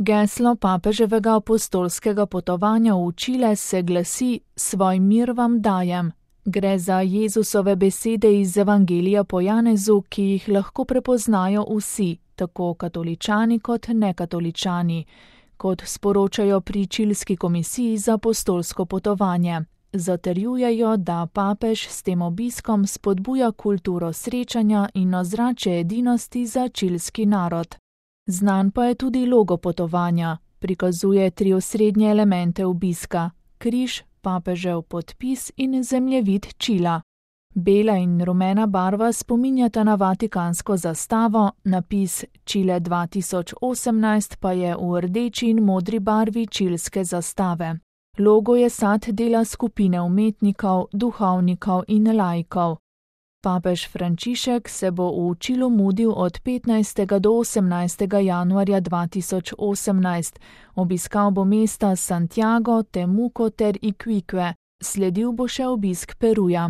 Geslo papeževega apostolskega potovanja v Čile se glasi: Svoj mir vam dajem. Gre za Jezusove besede iz Evangelija po Janezu, ki jih lahko prepoznajo vsi, tako katoličani kot nekatoličani, kot sporočajo pri Čilski komisiji za apostolsko potovanje. Zatrjujejo, da papež s tem obiskom spodbuja kulturo srečanja in ozračje edinosti za čilski narod. Znan pa je tudi logo potovanja, prikazuje 3 osrednje elemente obiska: križ, papežev podpis in zemljevid Čila. Bela in rumena barva spominjata na vatikansko zastavo, napis Čile 2018 pa je v rdeči in modri barvi čilske zastave. Logo je sad dela skupine umetnikov, duhovnikov in laikov. Papež Frančišek se bo v Čilu mudil od 15. do 18. januarja 2018. Obiskal bo mesta Santiago, Temuco ter Iquique, sledil bo še obisk Peruja.